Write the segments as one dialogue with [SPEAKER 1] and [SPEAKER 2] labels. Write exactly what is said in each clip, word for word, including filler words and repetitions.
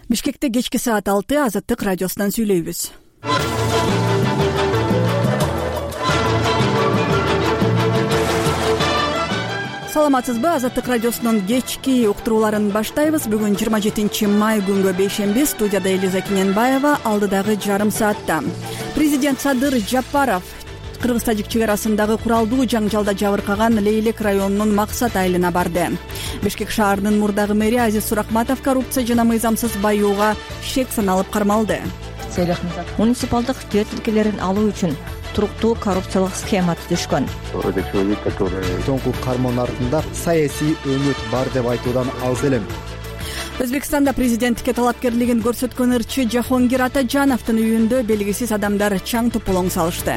[SPEAKER 1] Бишкекте кечки саат алты Азаттык радиосунан сүйлөйбүз. Саламатсызбы? Азаттык радиосунун кечки уктурууларын баштайбыз. Бүгүн жыйырма жетинчи май күнгө бейшемби. Студияда Элиза Кененбаева. Алдыдагы жарым саатта президент Садыр Жапаров Кыргыз-Тажик чек арасындагы куралдуу жаңжалда жабыркаган Лейлек районунун Максат айылына барды. Бишкек шаарынын мурдагы мэри Азиз Суракматов коррупция жана мыйзамсыз баюуга шек саналып кармалды.
[SPEAKER 2] Муниципалдык жер тилкелерин алуу үчүн туруктуу коррупциялык схема түзүшкөн.
[SPEAKER 3] Соңку кармоонун артында саясий өмөт бар деп айтуудан алыс элем.
[SPEAKER 1] Өзбекстанда президенттикке талапкерлигин көрсөткөн ырчы Жахонгир Атажановдун үйүндө белгисиз адамдар чаң тополоң салышты.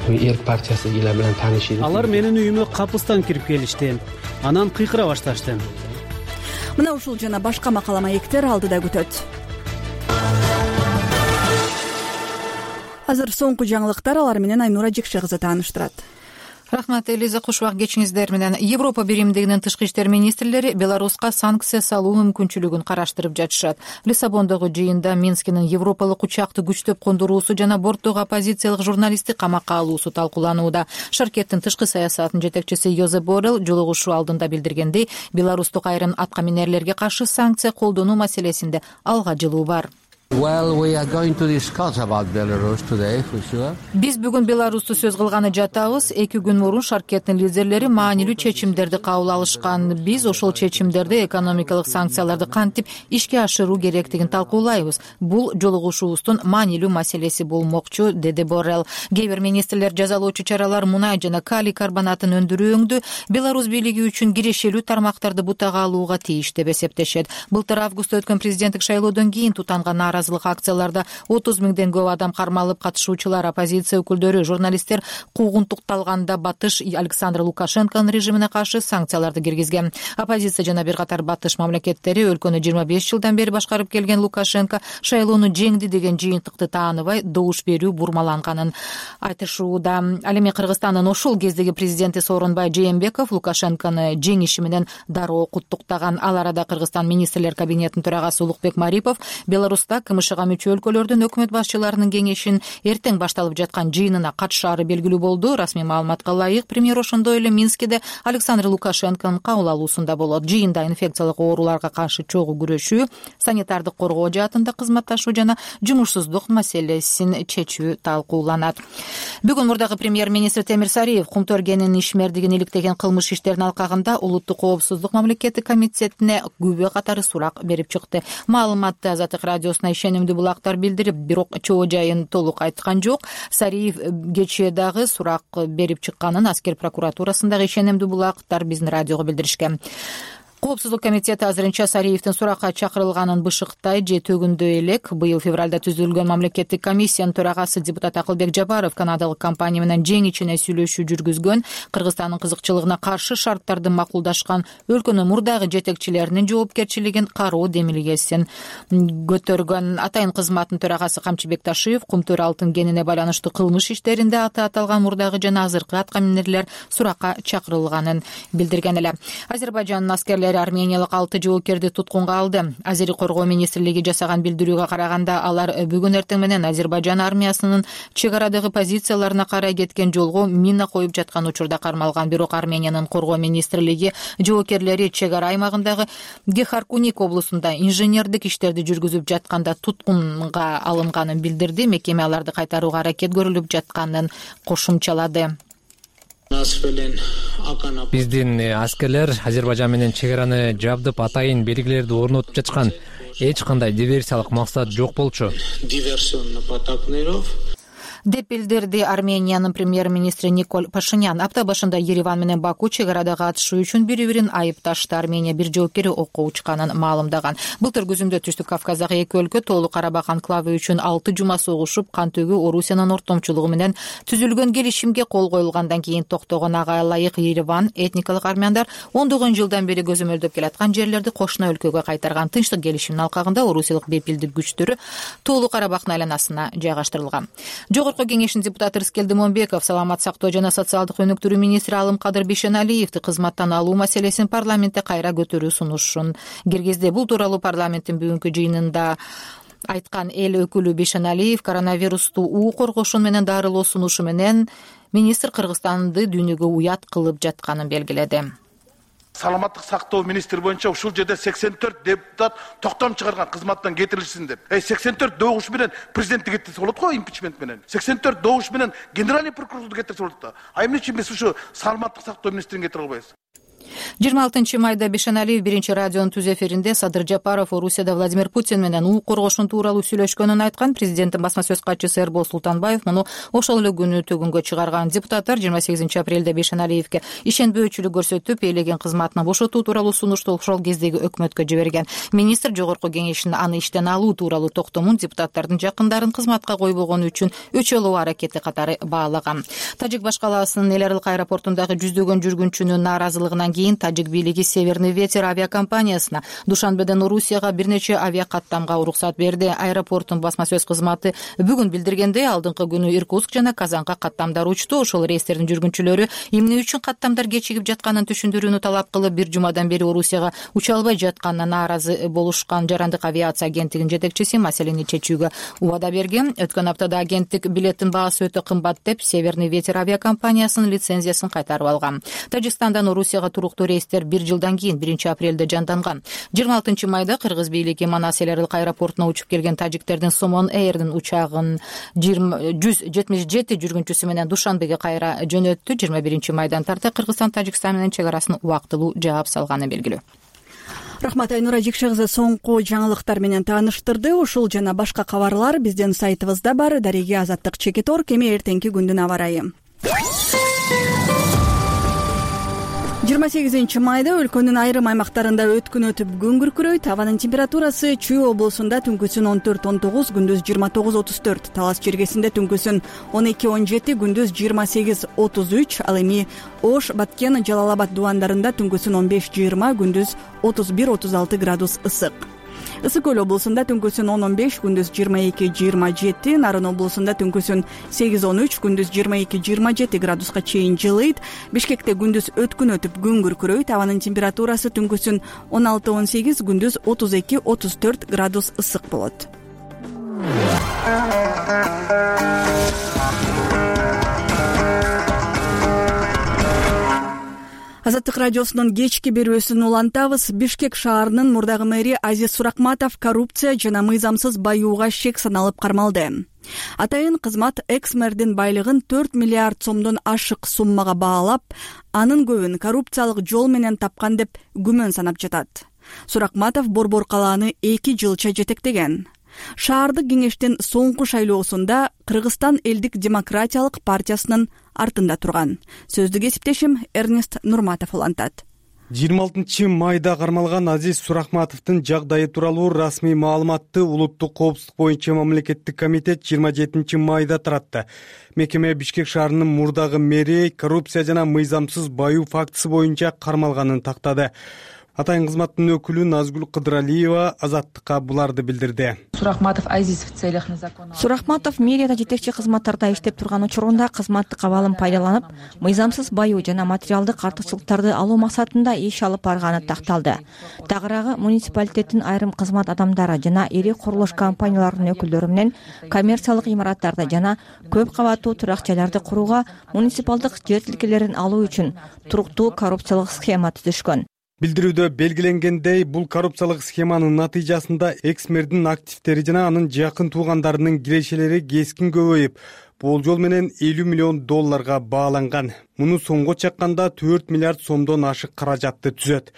[SPEAKER 4] Эрк партиясы эле менен таанышып.
[SPEAKER 5] Алар менин үйүмө капыстан кирип келишти. Анан кыйкыра башташты.
[SPEAKER 1] Мына ушул жана башка макала маектер алдыда күтөт. Азыр соңку жаңылыктар, алар менен Айнура Жекше кызы тааныштырат.
[SPEAKER 6] Рахмат, Элиза, куш убак кечиңиздер менен. Европа биримдигинин тышкы иштер министрлери Беларуска санкция салуу мүмкүнчүлүгүн караштырып жатышат. Лиссабондогу жыйында Минскинин европалык учакты күчтөп кондуруусу жана борттогу оппозициялык журналистти камакка алуусу талкууланууда. Шаркеттин тышкы саясатынын жетекчиси Йозеп Боррелл жолугушуу алдында билдиргендей, беларустук айрым атка минерлерге каршы санкция колдонуу маселесинде алга жылуу бар.
[SPEAKER 4] Well, we are going to discuss about Belarus today, for sure.
[SPEAKER 6] Биз бүгүн Беларусту сөз кылганы жатабыз. Эки күн мурун Шаркеттин лидерлери маанилүү чечимдерди кабыл алышкан. Биз ошол чечимдерди экономикалык санкцияларды кантип ишке ашыруу керектигин талкуулайбыз. Бул жолугушуубуздун маанилүү маселеси болмокчу, деди Боррелл. Кээ бир министрлер жазалоочу чаралар мунай жана калий карбонатын өндүрүүңдү Беларусь бийлиги үчүн кирешелүү тармактарды бутага алууга тийиш деп эсептешет. Былтыр августта өткөн президенттик шайлоодон кийин тутанган нааразылык акцияларда отуз миңден көп адам кармалып, катышуучулар, оппозиция өкүлдөрү, журналисттер куугунтукталганда батыш Александр Лукашенконун режимине каршы санкцияларды киргизген. Оппозиция жана бир катар батыш мамлекеттери өлкөнү жыйырма беш жылдан бери башкарып келген Лукашенко шайлоону жеңди деген жыйынтыкты тааныбай, добуш берүү бурмаланганын айтышууда. Ал эми Кыргызстандын ошол кездеги президенти Сооронбай Жээнбеков Лукашенкону жеңиши менен дароо куттуктаган. Ал арада Кыргызстан министрлер кабинетинин төрагасы Улукбек Марипов Беларуста кымышыга мүчө өлкөлөрдүн өкмөт башчыларынын кеңешин эртең башталып жаткан жыйынына катышаары белгилүү болду. Расмий маалыматка ылайык, премьер ошондой эле Минскиде Александр Лукашенконун кабыл алуусунда болот. Жыйында инфекциялык ооруларга каршы чогуу күрөшүү, санитардык коргоо жаатында кызматташуу жана жумушсуздук маселесин чечүү талкууланат. Бүгүн мурдагы премьер-министр Темир Сариев Кумтөргенин ишмердигин иликтеген кылмыш иштерин алкагында улуттук коопсуздук мамлекеттик комитетине күбө катары сурак берип чыкты. Маалыматты Азаттык радиосуна ишенимдүү булактар билдирип, бирок чоо жайын толук айткан жок. Сариев кечээ дагы сурак берип чыкканын аскер прокуратурасындагы ишенимдүү булактар биздин радиого билдиришкен. Коопсуздук комитети азырынча Сариевдин суракка чакырылганын бышыктай же төгүндө элек. Быйыл февралда түзүлгөн мамлекеттик комиссиянын төрагасы депутат Акылбек Жапаров канадалык компания менен жең ичине сүйлөшүү жүргүзгөн. Кыргызстандын кызыкчылыгына каршы шарттарды макулдашкан өлкөнүн мурдагы жетекчилеринин жоопкерчилигин кароо демилгесин көтөргөн. Атайын кызматтын төрагасы Камчыбек Ташиев Кумтөр алтын кенине байланыштуу кылмыш иштеринде аты аталган мурдагы жана азыркы атка минерлер суракка чакырылганын билдирген эле. Азербайжандын аскерлери армениялык алты жоокерди туткунга алды. Азери коргоо министрлиги жасаган билдирүүгө караганда, алар бүгүн эртең менен Азербайжан армиясынын чек арадагы позицияларына карай кеткен жолго мина коюп жаткан учурда кармалган. Бирок Армениянын коргоо министрлиги жоокерлери чек ара аймагындагы Гехаркуник облусунда инженердик иштерди жүргүзүп жатканда туткунга алынганын билдирди. Мекеме аларды кайтарууга аракет көрүлүп жатканын кошумчалады.
[SPEAKER 7] Биздин аскерлер Азербайжан менен чек араны жабдып, атайын белгилерди орнотуп жатышкан. Эч кандай диверсиялык максат жок болчу
[SPEAKER 6] деп билдирди Армениянын премьер-министри Никол Пашинян. Апта башында Ереван менен Баку чек арада катышуу үчүн бири-бирин айыпташты. Армения бир жоокери окко учканын маалымдаган. Былтыр күзүндө Түштүк Кавказдагы эки өлкө Тоолуу Карабак анклавы үчүн алты жума согушуп, кан төгүү Орусиянын ортомчулугу менен түзүлгөн келишимге кол коюлгандан кийин токтогон. Ага ылайык Ереван этникалык армяндар ондогон жылдан бери көзөмөлдөп келаткан жерлерди кошуна өлкөгө кайтарган. Тынчтык келишимдин алкагында орусиялык бепилдик күчтөрү Тоолуу Карабактын айланасына жайгаштырылган. Жогорку Жогорку кеңештин депутаты Рыскелди Момбеков саламат сактоо жана социалдык өнүктүрүү министри Алымкадыр Бейшеналиевди кызматтан алуу маселесин парламентте кайра көтөрүү сунушун киргизди. Бул тууралуу парламенттин бүгүнкү жыйынында айткан эл өкүлү Бейшеналиев коронавирусту уу коргошуу менен дарылоо сунушу менен министр Кыргызстанды дүйнөгө уят кылып жатканын белгиледи.
[SPEAKER 8] Саламаттык сактоо министри боюнча ушул жерде сексен төрт депутат токтом чыгарган кызматтан кетирилсин деп. Эй сексен төрт добуш менен президентти кетирсе болот го, импичмент менен. сексен төрт добуш менен генеральный прокурорду кетирсе болот да. А эмне үчүн биз ушу саламаттык сактоо министрин кетире албайбыз?
[SPEAKER 6] жыйырма алтынчы майда Бейшеналиев биринчи радионун түз эфиринде Садыр Жапаров Орусияда Владимир Путин менен уу коргошуу тууралуу сүйлөшкөнүн айткан. Президенттин басма сөз катчысы Эрбол Султанбаев муну ошол эле күнү төгүнгө чыгарган. Депутаттар жыйырма сегизинчи апрелде Бейшеналиевге ишенбөөчүлүк көрсөтүп, ээлеген кызматынан бошотуу тууралуу сунушту ошол кездеги өкмөткө жиберген. Министр жогорку кеңештин аны иштен алуу тууралуу токтомун депутаттардын жакындарын кызматка койбогону үчүн өчөлөө аракети катары баалаган. Тажик башкаласынын Эл Аралык аэропортундагы жүздөгөн жүргүнчүнүн нааразылыгынан кийин Тажик бийлиги Северный ветер авиакомпаниясына Душанбеден Орусияга бир нече авиакаттамга уруксат берди. Аэропорттун басма сөз кызматы бүгүн билдиргендей, алдыңкы күнү Иркутск жана Казанга каттамдар учту. Ошол рейстердин жүргүнчүлөрү эмне үчүн каттамдар кечигип жатканын түшүндүрүүнү талап кылып, бир жумадан бери Орусияга уча албай жатканына нааразы болушкан. Жарандык авиация агенттигинин жетекчиси маселени чечүүгө убада берген. Өткөн аптада агенттик билеттин баасы өтө кымбат деп Северный ветер авиакомпаниясынын лицензиясын кайтарып алган. Тажикстандан Орусияга туруктуу рейстер бир жылдан кийин биринчи апрелде жанданган. жыйырма алтынчы майда Кыргыз бийлиги Манас Эл Аралык аэропортуна учуп келген тажиктердин Сомон Эйрдин учагын жүз жетимиш жети жүргүнчүсү менен Душанбеге кайра жөнөттү. жыйырма биринчи майдан тарта Кыргызстан Тажикстан менен чек арасын убактылуу жаап салганы белгилүү.
[SPEAKER 1] Рахмат, Айнура Жекше кызы соңку жаңылыктар менен тааныштырды. Ушул жана башка кабарлар биздин сайтыбызда бар. Дареги Азаттык Чекитор. Кеми эртеңки күндүн аба ырайы. жыйырма сегизинчи майда өлкөнүн айрым аймактарында өткүн өтүп күн күркүрөйт. Абанын температурасы Чүй облусунда түнкүсүн он төрт он тогуз, күндүз жыйырма тогуз отуз төрт, Талас Чергесинде түнкүсүн он эки он жети, күндүз жыйырма сегиз отуз үч, ал эми Ош, Баткен, Жалал-Абад дубандарында түнкүсүн он беш жыйырма, күндүз отуз бир отуз алты градус ысык. Ысык көл облусунда түнкүсүн он он беш, күндүз жыйырма эки жыйырма жети, Нарын облусунда түнкүсүн сегиз он үч, күндүз жыйырма эки жыйырма жети градуска чейин жылыйт. Бишкекте күндүз өткүн өтүп күн күркүрөйт. Абанын температурасы түнкүсүн он алты он сегиз, күндүз отуз эки отуз төрт градус ысык болот. Азаттык радиосунун кечки берүүсүн улантабыз. Бишкек шаарынын мурдагы мэри Азиз Суракматов коррупция жана мыйзамсыз баюуга шек саналып кармалды. Атайын кызмат экс-мэрдин байлыгын төрт миллиард сомдон ашык суммага баалап, анын көбүн коррупциялык жол менен тапкан деп күмөн санап жатат. Суракматов Борбор калааны эки жылча жетектеген. Шаардык кеңештин соңку шайлоосунда Кыргызстан элдик демократиялык партиясынын артында турган. Сөздү кесиптешим Эрнест Нурматов улантат.
[SPEAKER 9] жыйырма алтынчы майда кармалган Азиз Суракматовдун жагдайы тууралуу расмий маалыматты Улуттук коопсуздук боюнча мамлекеттик комитет жыйырма жетинчи майда таратты. Мекеме Бишкек шаарынын мурдагы мэри коррупция жана мыйзамсыз баюу фактысы боюнча кармалганын тактады. Атайын кызматтын өкүлү Назгүл Кыдыралиева Азаттыкка буларды билдирди.
[SPEAKER 10] Суракматов Азиз в целях незаконного.
[SPEAKER 2] Суракматов мэрияда жетекчи кызматтарда иштеп турган учурунда кызматтык абалын пайдаланып, мыйзамсыз баюу жана материалдык артыкчылыктарды алуу максатында иш алып барганы такталды. Тагыраагы муниципалитеттин айрым кызмат адамдары жана ири курулуш компанияларынын өкүлдөрү менен коммерциялык имараттарды жана көп кабаттуу турак жайларды курууга муниципалдык жер тилкелерин алуу үчүн туруктуу коррупциялык схема түзүшкөн.
[SPEAKER 9] Билдирүүдө белгиленгендей, бул коррупциялык схеманын натыйжасында экс-мэрдин активдери жана анын жакын туугандарынын кирешелери кескин көбөйүп, болжол менен элүү миллион долларга бааланган. Муну сомго чакканда төрт миллиард сомдон ашык каражатты түзөт.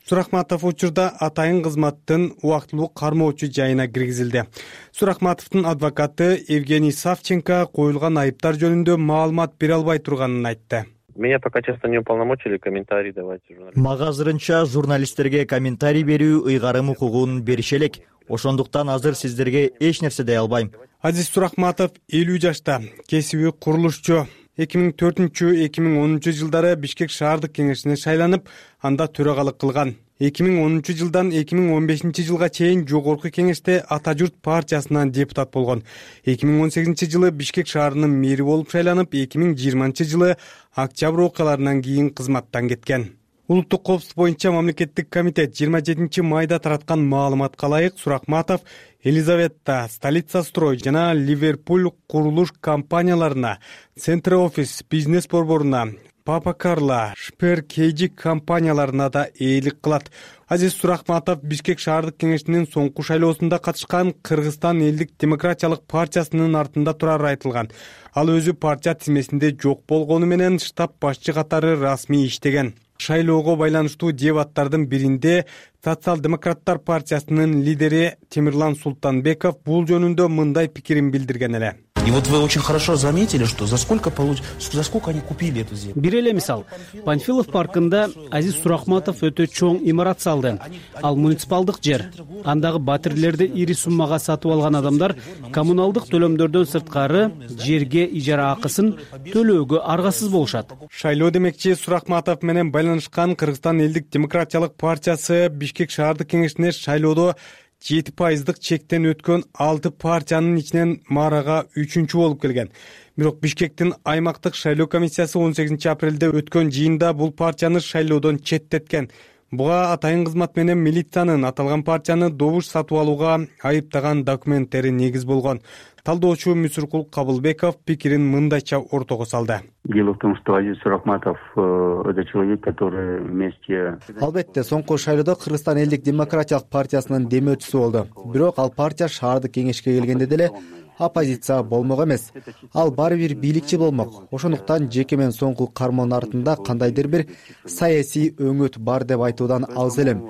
[SPEAKER 9] Суракматов учурда атайын кызматтын убактылуу кармоочу жайына киргизилди. Суракматовдун адвокаты Евгений Савченко коюлган айыптар жөнүндө маалымат бере албай турганын айтты.
[SPEAKER 11] Меня пока честно не уполномочили комментарий давать журналистам.
[SPEAKER 12] Мага азырынча журналисттерге комментарий берүү ыйгарым укугун берише элек. Ошондуктан азыр сиздерге эч нерсе дей албайм.
[SPEAKER 9] Азиз Суракматов элүү жашта, кесиби курулушчу. эки миң төртүнчү эки миң онунчу жылдары Бишкек шаардык кеңешине шайланып, анда төрагалык кылган. эки миң онунчу жылдан эки миң он бешинчи жылга чейин жогорку кеңеште Ата журт партиясынан депутат болгон. эки миң он сегизинчи жылы Бишкек шаарынын мэри болуп шайланып, эки миң жыйырманчы жылы октябрь окуяларынан кийин кызматтан кеткен. Улуттук коопсуздук боюнча мамлекеттик комитет жыйырма жетинчи майда тараткан маалыматка ылайык Суракматов Елизавета, Столица строй жана Ливерпуль курулуш компанияларына, Центр офис бизнес борборуна, Папа Карло, Шпер Кейджик компанияларына да ээлик кылат. Азиз Суракматов Бишкек шаардык кеңешинин соңку шайлоосунда катышкан Кыргызстан элдик демократиялык партиясынын артында турары айтылган. Ал өзү партия тизмесинде жок болгону менен штаб башчы катары расмий иштеген. Шайлоого байланыштуу дебаттардын биринде Социал-демократтар партиясынын лидери Темирлан Султанбеков бул жөнүндө мындай пикирин билдирген эле.
[SPEAKER 13] И вот вы очень хорошо заметили, что за сколько получ... за сколько они купили эту землю.
[SPEAKER 5] Бир эле мисал, Панфилов паркында Азиз Суракматов өтө чоң имарат салды. Ал муниципалдык жер. Андагы батирлерди ири суммага сатып алган адамдар коммуналдык төлөмдөрдөн сырткары жерге ижара акысын төлөөгө аргасыз болушат.
[SPEAKER 9] Шайлоо демекчи Суракматов менен байланышкан Кыргызстан элдик демократиялык партиясы Бишкек шаардык кеңешине шайлоодо жети пайыздык чектен өткөн алты партиянын ичинен маарага үчүнчү болуп келген. Бирок Бишкектин аймактык шайлоо комиссиясы он сегизинчи апрелде өткөн жыйында бул партияны шайлоодон четтеткен. Буга атайын кызмат менен милициянын аталган партияны добуш сатып алууга айыптаган документтери негиз болгон. Талдоочу Мүсүркул Кабылбеков пикирин мындайча ортого салды.
[SPEAKER 14] Дело в том, что Азиз Суракматов это человек, который вместе...
[SPEAKER 3] Албетте, соңку шайлоодо Кыргызстан элдик демократиялык партиясынын демөөчүсү болду. Бирок ал партия шаардык кеңешке келгенде деле оппозиция болмок эмес. Ал баары бир бийликчи болмок. Ошондуктан жеке мен соңку кармоонун артында кандайдыр бир саясий өңөт бар деп айтуудан алыс элем.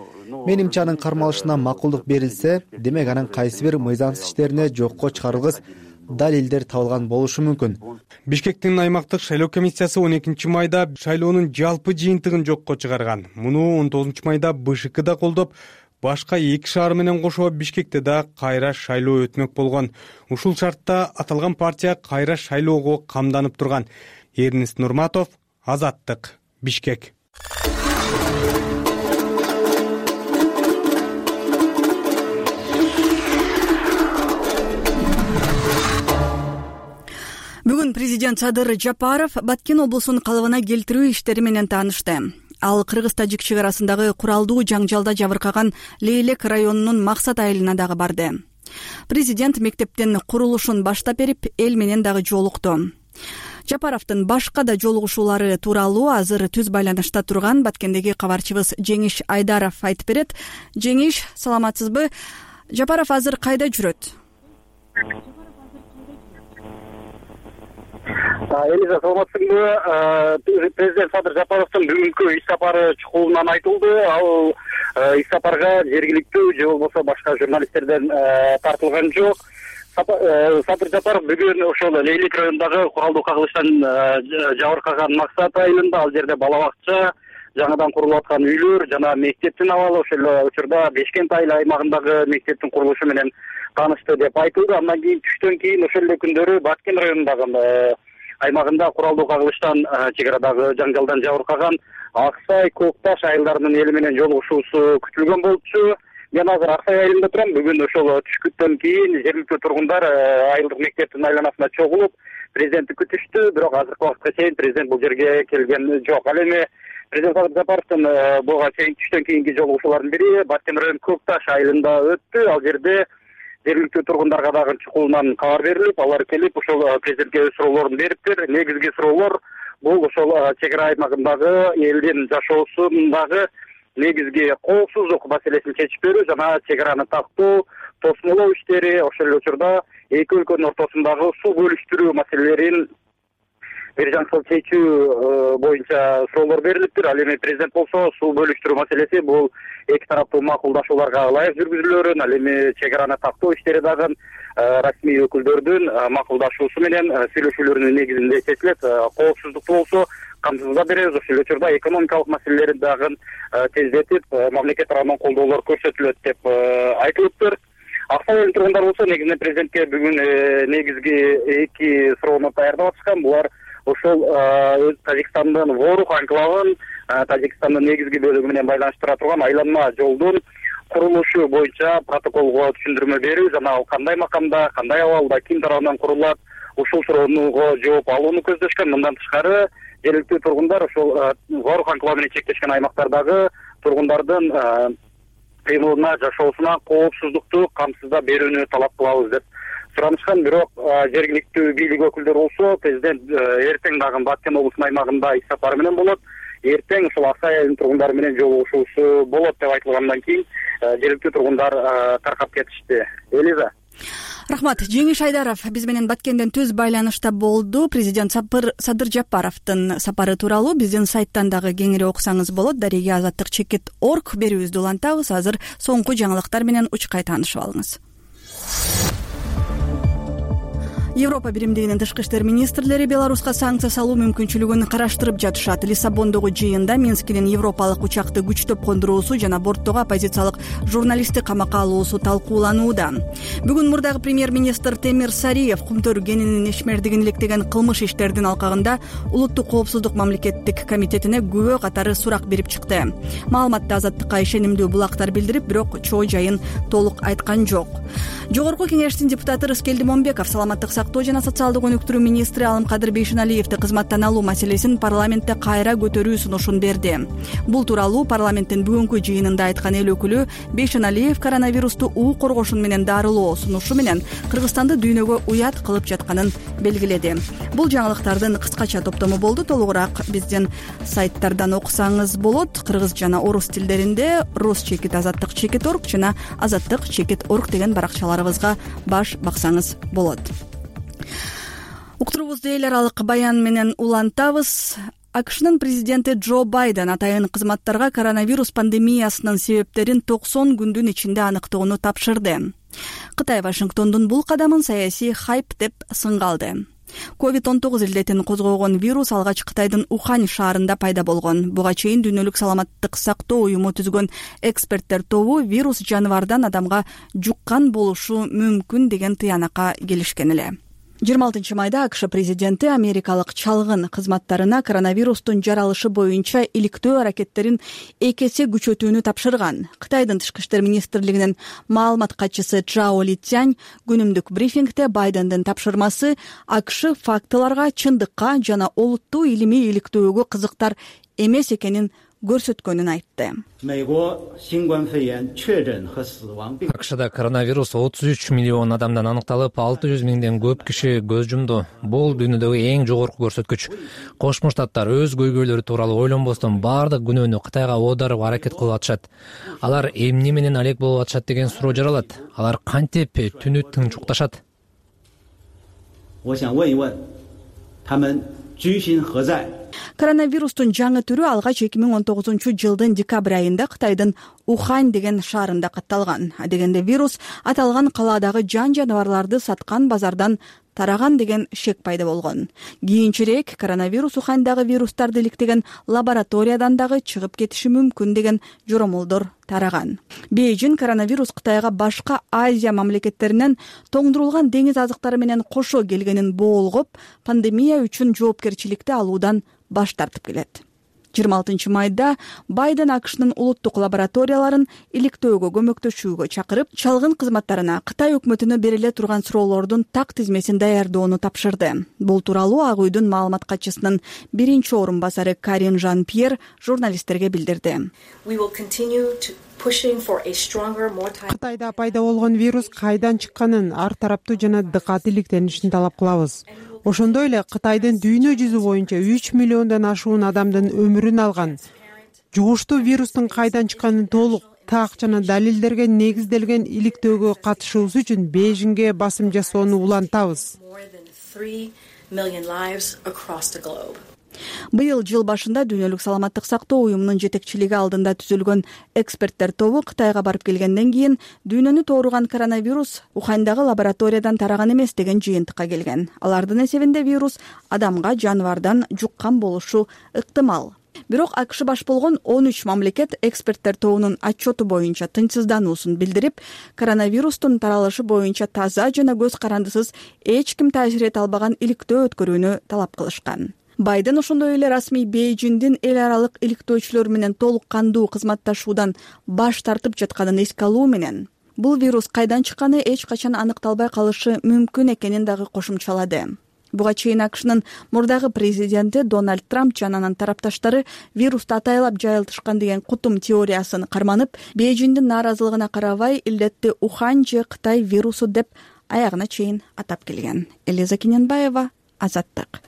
[SPEAKER 3] Менимче анын кармалышына макулдук берилсе, демек анын кайсы бир мыйзамсыз иштерине жокко чыгарылгыс далилдер табылган болушу мүмкүн.
[SPEAKER 9] Бишкектин аймактык шайлоо комиссиясы он экинчи майда шайлоонун жалпы жыйынтыгын жокко чыгарган. Муну он тогузунчу майда БШК да колдоп, башка эки шаар менен кошо Бишкекте да кайра шайлоо өтмөк болгон. Ушул шартта аталган партия кайра шайлоого камданып турган. Эрнест Нурматов, Азаттык, Бишкек.
[SPEAKER 1] Бүгүн президент Садыр Жапаров Баткен облусунун калыбына келтирүү иштери менен таанышты. Ал Кыргыз-Тажик чек арасындагы куралдуу жаңжалда жабыркаган Лейлек районунун Максат айылына дагы барды. Президент мектептин курулушун баштап берип, эл менен дагы жолукту. Жапаровдун башка да жолугушуулары тууралуу азыр түз байланышта турган Баткендеги кабарчыбыз Жеңиш Айдаров айтып берет. Жеңиш, саламатсызбы? Жапаров азыр кайда жүрөт?
[SPEAKER 15] Элиза, саламатсыңбы? Президент Садыр Жапаровдун бүгүнкү иш сапары чукулунан айтылды. Ал иш сапарга жергиликтүү же болбосо башка журналисттерден тартылган жок. Садыр Жапаров бүгүн ошол Лейлек районундагы куралдуу кагылыштан жабыркаган Максат айылында, ал жерде бала бакча, жаңадан курулуп аткан үйлөр жана мектептин абалы, ошол учурда Бешкент айыл аймагындагы мектептин курулушу менен таанышты деп айтылды. Андан кийин түштөн кийин ошол эле күндөрү Баткен районундагы аймагында куралдуу кагылыштан чек арадагы жаңжалдан жабыркаган Аксай, Көкташ айылдарынын эли менен жолугушуусу күтүлгөн болчу. Мен азыр Аксай айылында турам. Бүгүн ошол түшкүттөн кийин жергиликтүү тургундар айылдык мектептин айланасына чогулуп президентти күтүштү. Бирок азыркы убакытка чейин президент бул жерге келген жок. Ал эми президент Садыр Жапаровдун буга чейин түштөн кийинки жолугушуулардын бири Баткен районунун Көкташ айылында өттү. Ал жерде жергиликтүү тургундарга дагы чукулунан кабар берилип, алар келип ошол президентке өз суроолорун бериптир. Негизги суроолор бул ошол чек ара аймагындагы элдин жашоосундагы негизги коопсуздук маселесин чечип берүү жана чек араны тактоо, тосмолоо иштери, ошол эле учурда эки өлкөнүн ортосундагы суу бөлүштүрүү маселелерин бир жаңсыл чечүү боюнча суроолор берилиптир. Ал эми президент болсо суу бөлүштүрүү маселеси бул эки тараптуу макулдашууларга ылайык жүргүзүлөөрүн, ал эми чек араны тактоо иштери дагы расмий өкүлдөрдүн макулдашуусу менен сүйлөшүүлөрүнүн негизинде чечилет. Коопсуздукту болсо камсыздап беребиз. Ошол эле учурда экономикалык маселелерди дагы тездетип, мамлекет тарабынан колдоолор көрсөтүлөт деп айтылыптыр. Аксай айылынын тургундары болсо негизинен президентке бүгүн негизги эки суроону даярдап атышкан. Булар ошол Тажикстандын Ворух анклавын Тажикстандын негизги бөлүгү менен байланыштыра турган айланма жолдун курулушу боюнча протоколго түшүндүрмө берүү жана ал кандай макамда, кандай абалда, ким тарабынан курулат, ушул сурооного жооп алууну көздөшкөн. Мындан тышкары жергиликтүү тургундар ошол зор анклав менен чектешкен аймактардагы тургундардын кыймылына, жашоосуна коопсуздукту камсыздап берүүнү талап кылабыз деп суранышкан. Бирок жергиликтүү бийлик өкүлдөрү болсо президент эртең дагы Баткен облусунун аймагында иш сапары менен болот. Эртең ушул Аксай айылынын тургундары менен жолугушуусу болот деп айтылгандан кийин жергиликтүү тургундар таркап кетишти. Элиза.
[SPEAKER 1] Рахмат. Жеңиш Айдаров биз менен Баткенден түз байланышта болду. Президент Садыр Жапаровдун сапары тууралуу биздин сайттан дагы кеңири окусаңыз болот. Дареге азаттык чекит орг берүүбүздү улантабыз. Азыр соңку жаңылыктар менен учкай таанышып алыңыз. Европа биримдигинин тышкы иштер министрлери Беларуска санкция салуу мүмкүнчүлүгүн караштырып жатышат. Лиссабондогу жыйында Минскинин европалык учакты күчтөп кондуруусу жана борттогу оппозициялык журналистти камакка алуусу талкууланууда. Бүгүн мурдагы премьер-министр Темир Сариев Кумтөр-Генинин ишмердигин иликтеген кылмыш иштердин алкагында Улуттук коопсуздук мамлекеттик комитетине күбө катары сурак берип чыкты. Маалыматты Азаттыкка ишенимдүү булактар билдирип, бирок чоо жайын толук айткан жок. Жогорку кеңештин депутаты Рыскелди Момбеков саламаттык сактоо жана социалдык өнүктүрүү министри Алымкадыр Бейшеналиевди кызматтан алуу маселесин парламентте кайра көтөрүү сунушун берди. Бул тууралуу парламенттин бүгүнкү жыйынында айткан эл өкүлү Бейшеналиев коронавирусту уу коргошун менен дарылоо сунушу менен Кыргызстанды дүйнөгө уят кылып жатканын белгиледи. Бул жаңылыктардын кыскача топтому болду. Толугураак биздин сайттардан окусаңыз болот. Кыргыз жана орус тилдеринде рус чекит азаттык чекит орг жана азаттык чекит орг деген баракчаларыбызга баш баксаңыз болот. Уктуруубузду эл аралык баян менен улантабыз. АКШнын президенти Джо Байден атайын кызматтарга коронавирус пандемиясынын себептерин токсон күндүн ичинде аныктоону тапшырды. Кытай Вашингтондун бул кадамын саясий хайп деп сынгалды. ковид он тогуз илдетин козгогон вирус алгач Кытайдын Ухань шаарында пайда болгон. Буга чейин Дүйнөлүк саламаттык сактоо уюму түзгөн эксперттер тобу вирус жаныбардан адамга жуккан болушу мүмкүн деген тыянакка келишкен эле. жыйырма алтынчы майда АКШ президенти америкалык чалгын кызматтарына коронавирустун жаралышы боюнча иликтөө аракеттерин эки эсе күчөтүүнү тапшырган. Кытайдын тышкы иштер министрлигинин маалымат катчысы Чжао Литянь күнүмдүк брифингде Байдендин тапшырмасы АКШ фактыларга, чындыкка жана олуттуу илимий иликтөөгө кызыктар эмес экенин көрсөткөнүн айтты.
[SPEAKER 7] АКШда коронавирус отуз үч миллион адамдан аныкталып, алты жүз миңден көп киши көз жумду. Бул дүйнөдөгү эң жогорку көрсөткүч. Кошмо Штаттар өз көйгөйлөрү тууралуу ойлонбостон баардык күнөөнү Кытайга оодарып аракет кылып атышат. Алар эмне менен алек болуп атышат деген суроо жаралат. Алар кантип түнү тынчукташат?
[SPEAKER 1] Коронавирустун жаңы түрү алгач эки миң он тогузунчу жылдын декабрь айында Кытайдын Ухань деген шаарында катталган. Адегенде вирус аталган калаадагы жан жаныбарларды саткан базардан тараган деген шек пайда болгон. Кийинчерээк коронавирус Уханьдагы вирустарды иликтеген лабораториядан дагы чыгып кетиши мүмкүн деген жоромолдор тараган. Бейжин коронавирус Кытайга башка Азия мамлекеттеринен тоңдурулган деңиз азыктары менен кошо келгенин боолгоп, пандемия үчүн жоопкерчиликти алуудан баш тартып келет. жыйырма алтынчы майда Байден АКШнын улуттук лабораторияларын иликтөөгө көмөктөшүүгө чакырып, чалгын кызматтарына Кытай өкмөтүнө бериле турган суроолордун так тизмесин даярдоону тапшырды. Бул тууралуу Ак үйдүн маалымат катчысынын биринчи орун басары Карин Жан-Пьер журналисттерге билдирди.
[SPEAKER 16] Кытайда пайда болгон вирус кайдан чыкканын, ар тараптуу жана дыкат иликтенишин талап кылабыз. Ошондой эле Кытайдын дүйнө жүзү боюнча үч миллиондон ашуун адамдын өмүрүн алган. Жугуштуу вирустун кайдан чыкканын толук, так жана далилдерге негизделген иликтөөгө катышуубуз үчүн Бейжиңге басым жасоону улантабыз.
[SPEAKER 1] Быйыл жыл башында Дүйнөлүк саламаттык сактоо уюмунун жетекчилиги алдында түзүлгөн эксперттер тобу Кытайга барып келгенден кийин дүйнөнү тооруган коронавирус Уханьдагы лабораториядан тараган эмес деген жыйынтыкка келген. Алардын эсебинде вирус адамга жаныбардан жуккан болушу ыктымал. Бирок АКШ баш болгон он үч мамлекет эксперттер тобунун отчету боюнча тынчсыздануусун билдирип, коронавирустун таралышы боюнча таза жана көз карандысыз эч ким таасир эте албаган иликтөө өткөрүүнү талап кылышкан. Байден ошондой эле расмий Бейжиңдин эл аралык иликтөөчүлөр менен толук кандуу кызматташуудан баш тартып жатканын эске алуу менен бул вирус кайдан чыкканы эч качан аныкталбай калышы мүмкүн экенин дагы кошумчалады. Буга чейин АКШнын мурдагы президенти Дональд Трамп жана анын тарапташтары вирусту атайлап жайылтышкан деген кутум теориясын карманып, Бейжиңдин нааразылыгына карабай илдетти Ухань же Кытай вирусу деп аягына чейин атап келген. Элиза Кененбаева, Азаттык.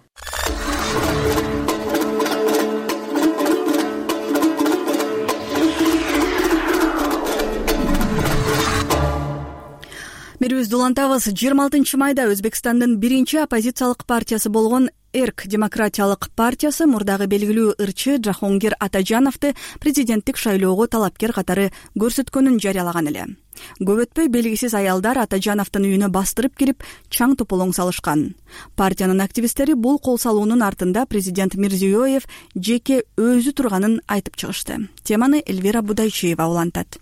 [SPEAKER 1] Берүүбүздү улантабыз. жыйырма алтынчы майда Өзбекстандын биринчи оппозициялык партиясы болгон Эрк демократиялык партиясы мурдагы белгилүү ырчы Жахонгир Атажановду президенттик шайлоого талапкер катары көрсөткөнүн жарыялаган эле. Көп өтпөй белгисиз аялдар Атажановдун үйүнө бастырып кирип, чаң тополоң салышкан. Партиянын активисттери бул кол салуунун артында президент Мирзиёев жеке өзү турганын айтып чыгышты. Теманы Эльвира Будайчиева улантат.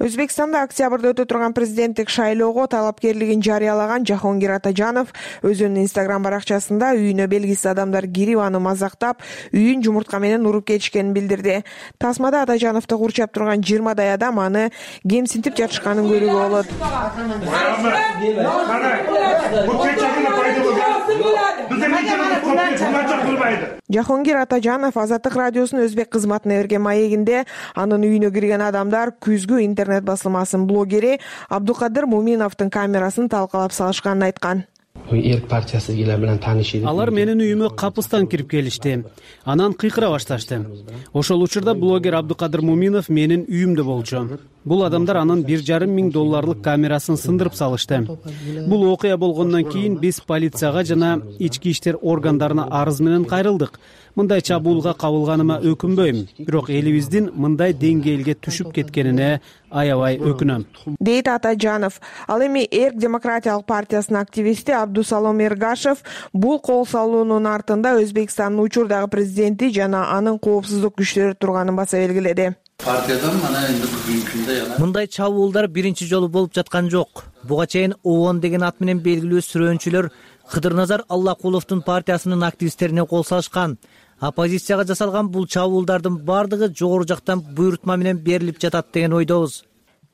[SPEAKER 17] Өзбекстанда октябрда өтө турган президенттик шайлоого талапкерлигин жарыялаган Жахонгир Атажанов өзүнүн Инстаграм баракчасында үйүнө белгисиз адамдар кирип аны мазактап, үйүн жумуртка менен уруп кетишкенин билдирди. Тасмада Атажановду курчап турган жыйырмадай адам аны кемсинтип жатышканын көрүүгө болот. Жахонгир Атажанов Азаттык радиосунун өзбек кызматына берген маегинде анын үйүнө кирген адамдар күзгү интернет басылмасынын блогери Абдукадыр Муминовдун камерасын талкалап салышканын айткан.
[SPEAKER 18] Эрк партиясы менен таанышты.
[SPEAKER 5] Алар менин үйүмө капыстан кирип келишти. Анан кыйкыра башташты. Ошол учурда блогер Абдукадыр Муминов менин үйүмдө болчу. Бул адамдар анын бир жарым миң долларлык камерасын сындырып салышты. Бул окуя болгондон кийин биз полицияга жана ички иштер органдарына арыз менен кайрылдык. Мындай чабуулга кабылганыма өкүнбөйм, бирок элибиздин мындай деңгээлге түшүп кеткенине аябай өкүнөм,
[SPEAKER 17] дейт Атажанов. Ал эми Эрк демократиялык партиясынын активисти Абдусалом Эргашев бул кол салуунун артында Өзбекстандын учурдагы президенти жана анын коопсуздук күчтөрү турганын баса белгиледи.
[SPEAKER 19] Партиядан мана эми бүгүнкү күндө жана
[SPEAKER 20] мындай чабуулдар биринчи жолу болуп жаткан жок. Буга чейин ООН деген ат менен белгилүү сүрөөнчүлөр Кыдырназар Аллакуловдун партиясынын активисттерине кол салышкан. Оппозицияга жасалган бул чабуулдардын бардыгы жогору жактан буйрутма менен берилип жатат деген ойдобуз,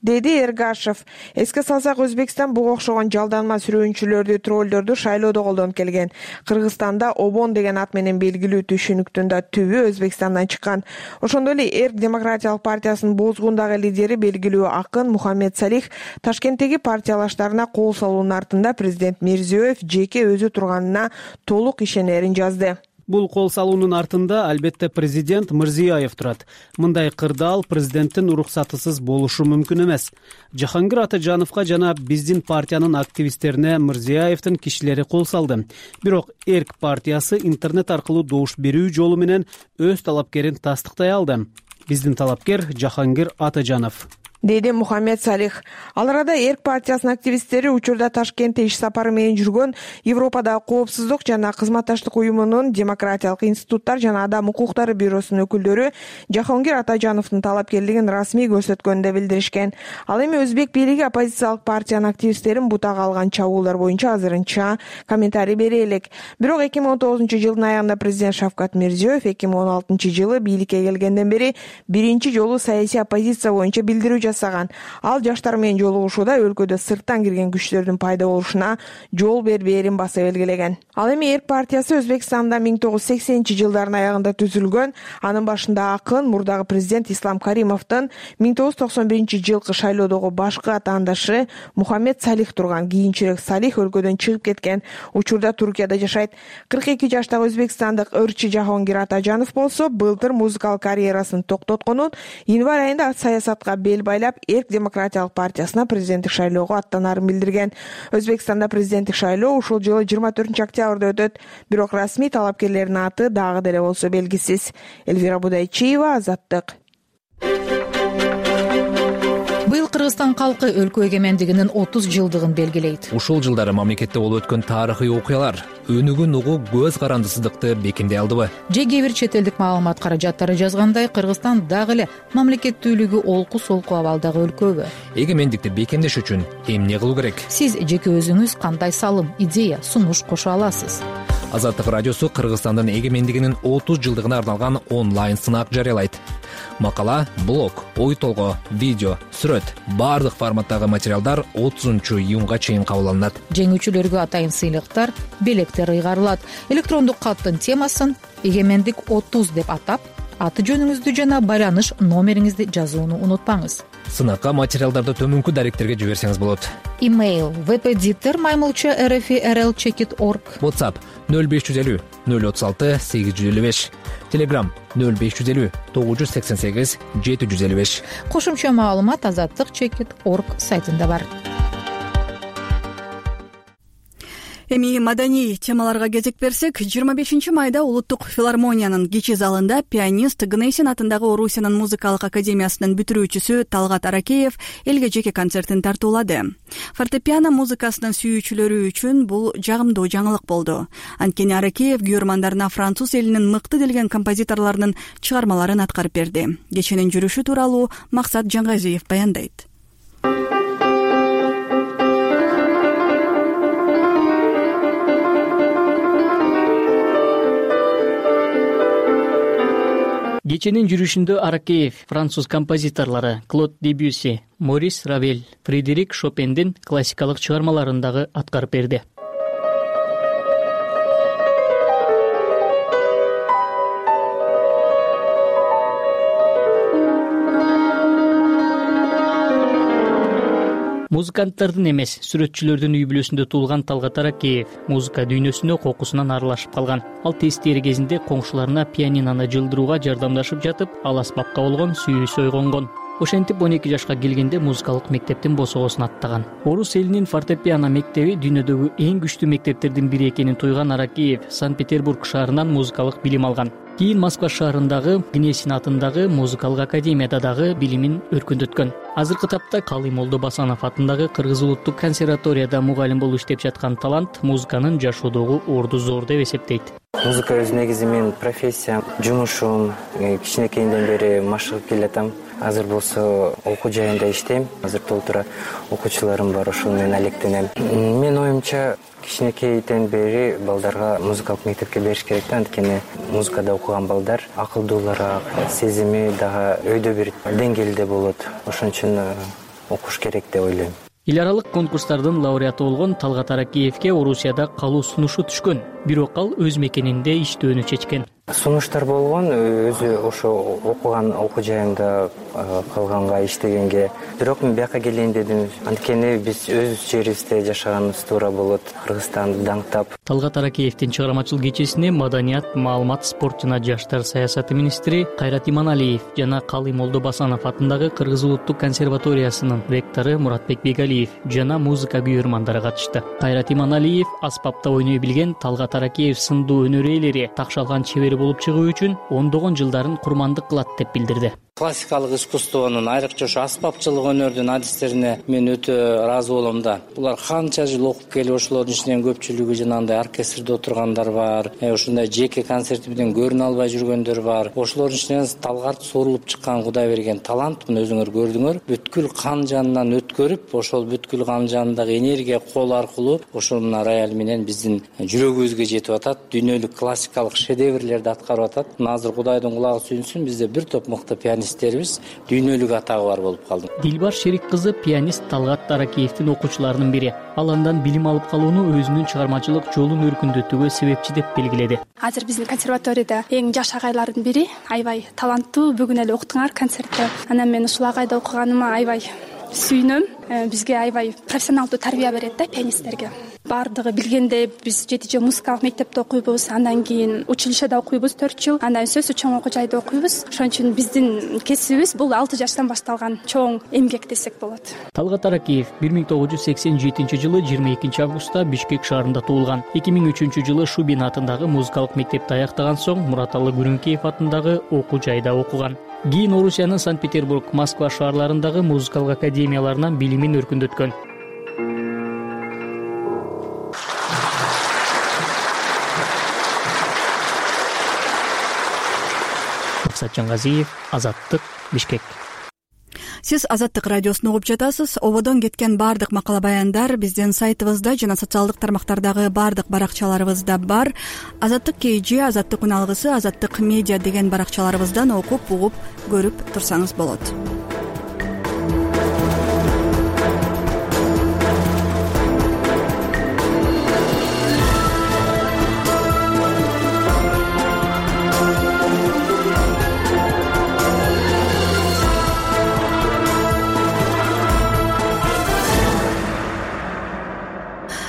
[SPEAKER 17] деди Эргашев. Эске салсак, Өзбекстан буга окшогон жалданма сүрөөнчүлөрдү, троллдорду шайлоодо колдонуп келген. Кыргызстанда Обон деген ат менен белгилүү түшүнүктүн да түбү Өзбекстандан чыккан. Ошондой эле Эрк демократиялык партиясынын бозгундагы лидери белгилүү акын Мухаммед Салих Ташкенттеги партиялаштарына кол салуунун артында президент Мирзиёев жеке өзү турганына толук ишенерин жазды.
[SPEAKER 5] Бул кол салуунун артында албетте президент Мирзиёев турат. Мындай кырдаал президенттин уруксатысыз болушу мүмкүн эмес. Жахонгир Атажановго жана биздин партиянын активисттерине Мирзиёевдин кишилери кол салды. Бирок Эрк партиясы интернет аркылуу добуш берүү жолу менен өз талапкерин тастыктай алды. Биздин талапкер Жахонгир Атажанов,
[SPEAKER 17] деди Мухаммед Салих. Ал арада Эрк партиясынын активисттери учурда Ташкентте иш сапары менен жүргөн Европадагы коопсуздук жана кызматташтык уюмунун демократиялык институттар жана адам укуктары бюросунун өкүлдөрү Жахонгир Атажановдун талапкерлигин расмий көрсөткөнүн да билдиришкен. Ал эми өзбек бийлиги оппозициялык партиянын активисттерин бутага алган чабуулдар боюнча азырынча комментарий бере элек. Бирок эки миң он тогузунчу жылдын аягында президент Шавкат Мирзиёев эки миң он алтынчы жылы бийликке келгенден бери биринчи жолу саясий оппозиция боюнча билдирүү жасаган. Ал жаштар менен жолугушууда өлкөдө сырттан кирген күчтөрдүн пайда болушуна жол бербээрин баса белгилеген. Ал эми Эрк партиясы Өзбекстанда миң тогуз жүз сексенинчи жылдардын аягында түзүлгөн. Анын башында акын мурдагы президент Ислам Каримовдун миң тогуз жүз токсон биринчи жылкы шайлоодогу башкы атаандашы Мухаммед Салих турган. Кийинчерээк Салих өлкөдөн чыгып кеткен. Учурда Туркияда жашайт. кырк эки жаштагы өзбекстандык ырчы Жахонгир Атажанов болсо былтыр музыкалык карьерасын токтотконун, январь айында саясатка бел байлап Эрк демократиялык партиясына президенттик шайлоого аттанарын билдирген. Өзбекстанда президенттик шайлоо ушул жылы жыйырма төртүнчү октябрда өтөт. Бирок расмий талапкерлердин аты дагы деле болсо белгисиз. Эльвира Будайчиева, Азаттык.
[SPEAKER 6] Быйыл Кыргызстан калкы өлкө эгемендигинин отуз жылдыгын белгилейт.
[SPEAKER 7] Ушул жылдары мамлекетте болуп өткөн тарыхый окуялар өнүгүн угуу көз карандысыздыкты бекемдей алдыбы?
[SPEAKER 6] Же кээ бир чет элдик маалымат каражаттары жазгандай, Кыргызстан дагы эле мамлекеттүүлүгү олку солку абалдагы өлкөбү?
[SPEAKER 7] Эгемендикти бекемдеш үчүн эмне кылуу керек?
[SPEAKER 6] Сиз жеке өзүңүз кандай салым, идея, сунуш кошо аласыз?
[SPEAKER 7] Азаттык радиосу Кыргызстандын эгемендигинин отуз жылдыгына арналган онлайн сынак жарыялайт. Макала, блог, ой толгоо, видео, сүрөт баардык форматтагы материалдар отузунчу июнга чейин кабыл алынат.
[SPEAKER 6] Жеңүүчүлөргө атайын сыйлыктар, белектер ыйгарылат. Электрондук каттын темасын эгемендик отуз деп атап, аты жөнүңүздү жана байланыш номериңизди жазууну унутпаңыз.
[SPEAKER 7] Сынакка материалдарды төмөнкү даректерге жиберсеңиз болот.
[SPEAKER 6] Имейл веб-эдитор маймылча эр эф эр эл чек ит точка орг.
[SPEAKER 7] WhatsApp нөл беш жүз элүү нөл отуз алты сегиз жүз элүү беш. Telegram нөл беш жүз элүү тогуз жүз сексен сегиз жети жүз элүү беш.
[SPEAKER 6] Кошумча маалымат азаттык чек ит точка орг сайтында бар.
[SPEAKER 1] Эми маданий темаларга кезек берсек, жыйырма бешинчи майда Улуттук филармониянын кичи залында пианист Гнесин атындагы Орусиянын музыкалык академиясынын бүтүрүүчүсү Талгат Аракеев элге жеке концертин тартуулады. Фортепиано музыкасынын сүйүүчүлөрү үчүн бул жагымдуу жаңылык болду. Анткени Аракеев күйөрмандарына француз элинин мыкты делген композиторлорунун чыгармаларын аткарып берди. Кеченин жүрүшү тууралуу Максат Жаңгазиев баяндайт.
[SPEAKER 21] Кеченин жүрүшүндө Аракеев француз композиторлору Клод Дебюсси, Морис Равель, Фредерик Шопендин классикалык чыгармаларын дагы аткарып берди. Музыканттардын эмес, сүрөтчүлөрдүн үй бүлөсүндө туулган Талгат Аракеев музыка дүйнөсүнө кокусунан аралашып калган. Ал тесттери кезинде коңшуларына пианинону жылдырууга жардамдашып жатып, ал аспапка болгон сүйүүсү ойгонгон. Ошентип он эки жашка келгенде музыкалык мектептин босогосун аттаган. Орус элинин фортепиано мектеби дүйнөдөгү эң күчтүү мектептердин бири экенин туйган Аракеев Санкт-Петербург шаарынан музыкалык билим алган. Кийин Москва шаарындагы Гнесин атындагы музыкалык академияда дагы билимин өркүндөткөн. Азыркы тапта Калыймолдо Басанов атындагы Кыргыз улуттук консерваторияда мугалим болуп иштеп жаткан талант музыканын жашоодогу орду зор деп эсептейт.
[SPEAKER 22] Музыка өз негизи менин профессиям, жумушум, кичинекейимден бери машыгып келатам. Азыр болсо окуу жайында иштейм. Азыр толтура окуучуларым бар, ошол менен алектенем. Мен оюмча кичинекейден бери балдарга музыкалык мектепке бериш керек да, анткени музыкада окуган балдар акылдуулураак, сезими дагы өйдө бир деңгээлде болот. Ошон үчүн окуш керек деп ойлойм.
[SPEAKER 21] Эл аралык конкурстардын лауреаты болгон Талгат Аракеевке Орусияда калуу сунушу түшкөн, бирок ал өз мекенинде иштөөнү чечкен.
[SPEAKER 22] Сунуштар болгон, өзү ошо окуган окуу жайында калганга, иштегенге. Бирок мен бияка келейин дедим, анткени биз өз жерибизде жашаганыбыз туура болот, Кыргызстанды даңктап.
[SPEAKER 21] Талгат Аракеевдин чыгармачыл кечесине маданият, маалымат, спорт жана жаштар саясаты министри Кайрат Иманалиев жана Калыймолдо Басанов атындагы Кыргыз улуттук консерваториясынын ректору Муратбек Бегалиев жана музыка күйөрмандары катышты. Кайрат Иманалиев аспапта ойной билген Талгат Аракеев сындуу өнөр ээлери такшалган чебери болуп чыгуу үчүн ондогон жылдарын курмандык кылат деп билдирди.
[SPEAKER 23] Классикалык искусствонун, айрыкча ошо аспапчылык өнөрдүн адистерине мен өтө ыраазы болом да. Булар канча жыл окуп келип, ошолордун ичинен көпчүлүгү жанагындай оркестрде отургандар бар, ошондой жеке концертибиден көрүнө албай жүргөндөр бар. Ошолордун ичинен Талгат сорулуп чыккан Кудай берген талант, мына өзүңөр көрдүңөр. Бүткүл кан жанынан өткөрүп, ошол бүткүл кан жанындагы энергия кол аркылуу ошол мына рояль менен биздин жүрөгүбүзгө жетип атат. Дүйнөлүк классикалык шедеврлерди аткарып атат. Азыр Кудайдын кулагы сүйүнсүн, бизде бир топ мыкты пианист дүйнөлүк атагы бар болуп калды.
[SPEAKER 21] Дилбар Шерик кызы пианист Талгат Аракеевдин окуучуларынын бири. Ал андан билим алып калууну өзүнүн чыгармачылык жолун өркүндөтүүгө себепчи деп белгиледи.
[SPEAKER 24] Азыр биздин консерваторияда эң жаш агайлардын бири, аябай таланттуу, бүгүн эле уктуңар концертте. Анан мен ушул агайда окуганыма аябай сүйүнөм. Бизге аябай профессионалдуу тарбия берет да пианисттерге. Бардыгы билгендей биз жети жыл музыкалык мектепте окуйбуз, андан кийин училищеде окуйбуз төрт жыл, андан сөзсүз чоң окуу жайда окуйбуз. Ошон үчүн биздин кесибибиз бул алты жаштан башталган чоң эмгек десек болот.
[SPEAKER 21] Талгат Аракеев бир миң тогуз жүз сексен жетинчи жылы жыйырма экинчи августта Бишкек шаарында туулган. эки миң үчүнчү жылы Шубин атындагы музыкалык мектепти аяктаган соң Мураталы Күрүнкеев атындагы окуу жайда окуган. Кийин Орусиянын Санкт-Петербург, Москва шаарларындагы музыкалык академияларынан билимин өркүндөткөн. Максат Жаңгазиев, Азаттык, Бишкек.
[SPEAKER 1] сиз Азаттык радиосун угуп жатасыз. Ободон кеткен баардык макала баяндар биздин сайтыбызда жана социалдык тармактардагы баардык баракчаларыбызда бар. Азаттык kg, Азаттык үн алгысы, Азаттык медиа деген баракчаларыбыздан окуп, угуп, көрүп турсаңыз болот.